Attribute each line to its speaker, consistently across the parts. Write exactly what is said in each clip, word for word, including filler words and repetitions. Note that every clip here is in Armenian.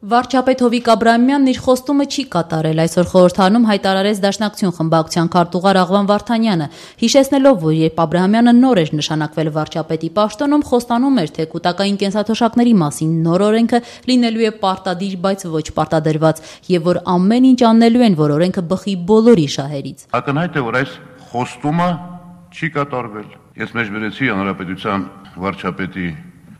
Speaker 1: Վարչապետ Հովիկ Աբրահամյանն իր խոստումը չի կատարել, այսօր խորհրդարանում հայտարարեց Դաշնակցություն խմբակցության քարտուղար Աղվան Վարդանյանը, հիշեցնելով, որ երբ Աբրահամյանը նոր էր նշանակվել վարչապետի պաշտոնում, խոստանում էր, թե կൂട്ടակային կենսաթոշակների մասին նոր օրենքը լինելու է պարտադիր, բայց ոչ պարտադրված, եւ որ ամեն ինչ անելու են, որ օրենքը բխի բոլորի շահերից։
Speaker 2: Ակնհայտ է, որ այս խոստումը չի կատարվել։ Ես մեջբերեցի հանրապետության վարչապետի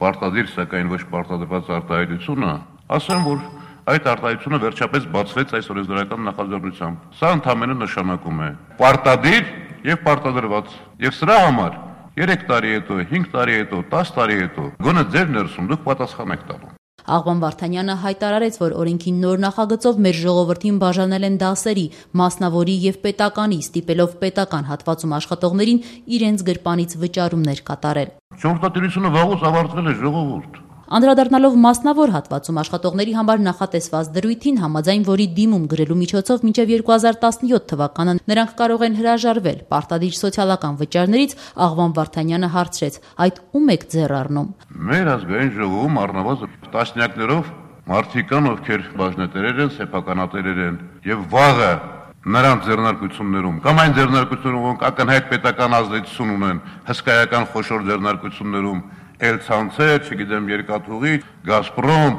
Speaker 2: պարտադիր, սակայն ոչ պարտադրված արտահայտությունը, ասեմ, որ այդ արտահայտությունը վերջապես բացվեց այս օրենսդրական նախաձեռնությամբ։ Սա ընդհանրապես նշանակում է պարտադիր եւ պարտադրված։ Եվ սրա համար երեք տարի հետո, հինգ տարի հետո, տասը տարի հետո գոնե ձեր ներսում դուք պատասխան եք տալու։
Speaker 1: Աղվան Վարդանյանը հայտարարեց, որ օրենքի նոր նախագծով մեր ժողովրդին բաժանել են դասերի, մասնավորի եւ պետականի, ստիպելով պետական հատվածում աշխատողներին իրենց գրպանից վճարումներ կատարել։
Speaker 2: Ճարտարապետությունը վաղուց ավարտվել է, ժողովուրդ։
Speaker 1: Անդրադառնալով մասնավոր հատվածում աշխատողների համար նախատեսված դրույթին, համաձայն որի դիմում գրելու միջոցով մինչև երկու հազար տասնյոթ թվականը նրանք կարող են հրաժարվել պարտադիր սոցիալական վճարներից, Աղվան Վարդանյանը հարցրեց. այդ ում եք ձեռ առնում։
Speaker 2: Մեր ազգային ժողովում առնվազն տասնյակներով մարդիկ կան, ովքեր բաժնետերեր են, սեփականատերեր են, եւ վաղը նրանց ձեռնարկություններում կամ այն ձեռնարկություններում, որոնք ակնհայտ պետական ազդեցություն ունեն, հսկայական խոշոր ձեռնարկություններում Էլ-ցանցեր, չգիտեմ, երկաթուղի, Գազպրոմ,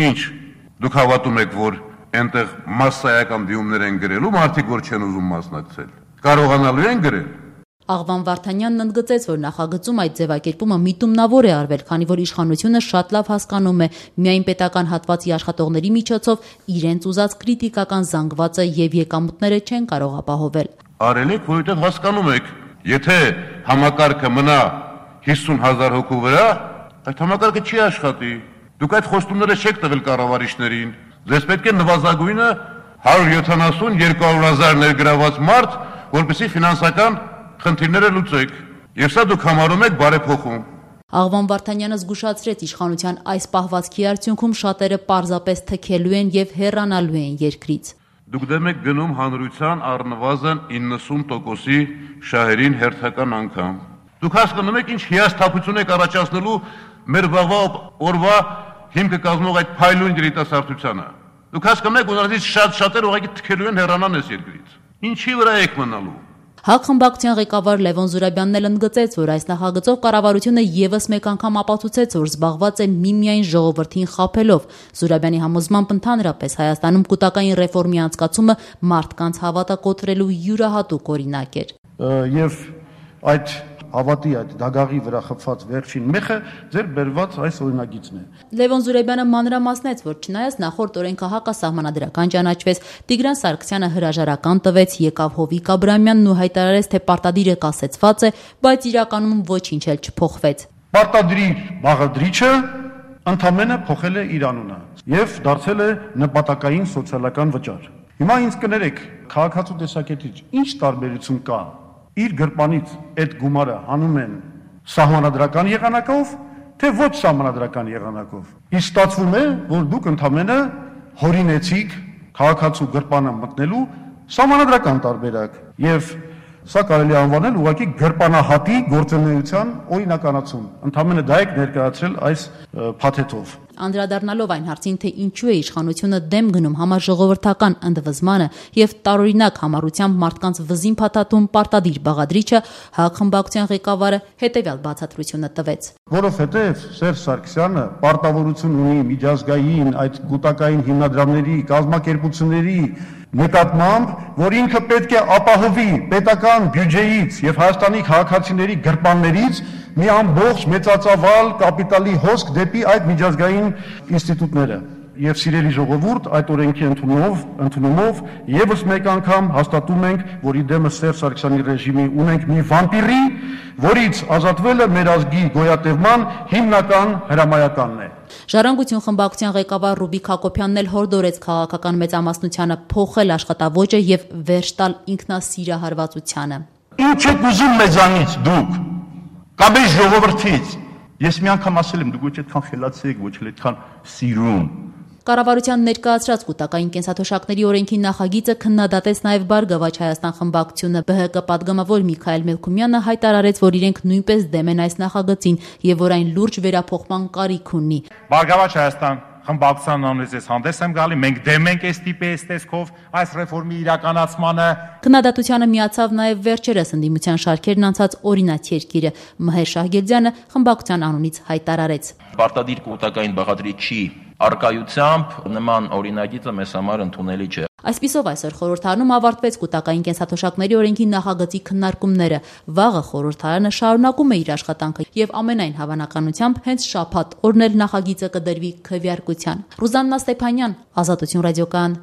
Speaker 2: ինչ, դուք հավատում եք, որ այնտեղ մասսայական դիմումներ են գրելու, մարդիկ, որ չեն ուզում մասնակցել, կարողանալու են գրել։
Speaker 1: Աղվան Վարդանյանն ընդգծեց, որ նախագծում այդ ձևակերպումը միտումնավոր է արվել, քանի որ իշխանությունը շատ լավ հասկանում է միայն պետական հատվածի աշխատողների միջոցով իրենց ուզած քրիտիկական զանգվածը եւ եկամուտները չեն կարող ապահովել։
Speaker 2: Արել եք, որովհետեւ հասկանում եք, եթե համակարգը մնա հիսուն հազար հոգու վրա, այդ համակարգը չի աշխատի։ Դուք այդ խոստումները չեք տվել կառավարիչներին։ Ձեզ պետք է նվազագույնը հարյուր յոթանասուն երկու հարյուր հազար ներգրաված մարդ, որպեսզի ֆինանսական խնդիրները լուծեք։ Եվ սա դուք համարում եք բարեփոխում։
Speaker 1: Աղվան Վարդանյանը զգուշացրեց իշխանության այս պահվածքի արդյունքում շատերը պարզապես թքելու են եւ հեռանալու են երկրից։
Speaker 2: Դուք դեմ եք գնում հանրության առնվազն իննսուն տոկոսի շահերին հերթական անգամ։ Դուք հասկանում եք ինչ հիասթափություն եք առաջացնելու մեր վաղվա օրվա հիմքը կազմող այդ փայլուն երիտասարդությանը։ Դուք հասկանում եք, որ նրանցից շատ շատեր ուղղակի թքելու են հեռանան այս երկրից։ Ինչի վրա եք մնալու։
Speaker 1: ՀԱԿ խմբակցության ղեկավար Լևոն Զուրաբյանն էլ ընդգծեց, որ այս նախագծով կառավարությունը եւս մեկ անգամ ապացուցեց, որ զբաղված է միմիայն ժողովրդին խաբելով։ Զուրաբյանի համոզմամբ ընդհանրապես Հայաստանում կൂട്ടակային ռեֆորմի անցկացումը մարդկանց հավատակոտրելու յուրահատուկ օրինակ էր։
Speaker 3: Եվ այդ հավատի այդ դագաղի վրա խփված վերջին մեխը ձեր բերված այս օրինագիծն է։
Speaker 1: Լևոն Զուրաբյանը մանրամասնեց, որ չնայած նախորդ օրենքը հակասահմանադրական ճանաչվեց, Տիգրան Սարգսյանը հրաժարական տվեց, եկավ Հովիկ Աբրահամյանն ու հայտարարեց, թե պարտադիրը կասեցված է, բայց իրականում ոչինչ էլ չփոխվեց։
Speaker 3: Պարտադրի բաղադրիչը ընդամենը փոխել է իր անունը եւ դարձել է նպատակային սոցիալական վճար։ Հիմա ինձ կներեք, քաղաքացու տեսակետից ինչ տարբերություն կա իր գրպանից այդ գումարը հանում են սահմանադրական եղանակով, թե ոչ սահմանադրական եղանակով։ Իսկ ստացվում է, որ դուք ընդամենը հորինեցիք քաղաքացու գրպանը մտնելու սահմանադրական տարբերակ եւ սա կարելի է անվանել ուղղակի գրպանահատի գործունեության օրինականացում։ Ընդամենը դա եք ներկայացրել այս փաթեթով։
Speaker 1: Անդրադառնալով այն հարցին, թե ինչու է իշխանությունը դեմ գնում համաժողովրդական ընդվզմանը եւ տարօրինակ համառությամբ մարդկանց վզին փաթաթում պարտադիր բաղադրիչը, ՀԱԿ խմբակցության ղեկավարը հետեւյալ բացատրությունը տվեց։
Speaker 3: Որովհետեւ Սերժ Սարգսյանը պարտավորություն ունի միջազգային այդ կൂട്ടակային հիմնադրամների, կազմակերպությունների նկատմամբ, որ ինքը պետք է ապահովի պետական բյուջեից եւ Հայաստանի քաղաքացիների գրպաններից մի ամբողջ մեծածավալ կապիտալի հոսք դեպի այդ միջազգային ինստիտուտները։ Եվ սիրելի ժողովուրդ, այդ օրենքի ընդունումով, ընդունումով եւս մեկ անգամ հաստատում ենք, որ իդեմս Սերժ Սարգսյանի ռեժիմի ունենք մի վամպիրի, որից ազատվելը մեր ազգի գոյատևման հիմնական հրամայականն է։
Speaker 1: Ժառանգություն խմբակցության ղեկավար Ռուբիկ Հակոբյանն էլ հորդորեց քաղաքական մեծամասնությանը փոխել աշխատավոճը եւ վերջ տալ ինքնասիրահարվածությանը։
Speaker 4: Ինչ եք ուզում մեզանից դուք, կամ այս ժողովրդից։ Ես մի անգամ ասել եմ, դուք ոչ այդքան խելացի եք, ոչ էլ այդքան սիրուն։
Speaker 1: Կառավարության ներկայացրած կൂട്ടակային կենսաթոշակների օրենքի նախագիծը քննադատեց նաև Բարգավաճ Հայաստան խմբակցությունը։ ԲՀԿ պատգամավոր Միքայել Մելքումյանը հայտարարեց, որ իրենք նույնպես դեմ են այս նախագծին եւ որ այն լուրջ վերափոխման կարիք ունի։
Speaker 5: Բարգավաճ Հայաստան խմբակցության անունից ես հանդես եմ գալի, մենք դեմ ենք այս տիպի այս տեսքով այս ռեֆորմի իրականացմանը։
Speaker 1: Քննադատությանը միացավ նաև վերջերս ընդդիմության շարքերն անցած օրինաց երկիրը։ Մհեր Շահգերդյանը խմբակցության անունից հայտարարեց.
Speaker 6: Պարտադիր կուտակային բաղադրիչի արկայությամբ նման օրինագիծը մեզ համար ընդունելի չէ։
Speaker 1: Այսպիսով այսօր խորհրդարանում ավարտվեց կուտակային կենսաթոշակների օրենքի նախագծի քննարկումները։ Վաղը խորհրդարանը շարունակում է իր աշխատանքը եւ ամենայն հավանականությամբ հենց շաբաթ օրն էլ նախագիծը կդրվի քվեարկության։ Ռուզաննա Ստեփանյան, Ազատություն ռադիոկայան։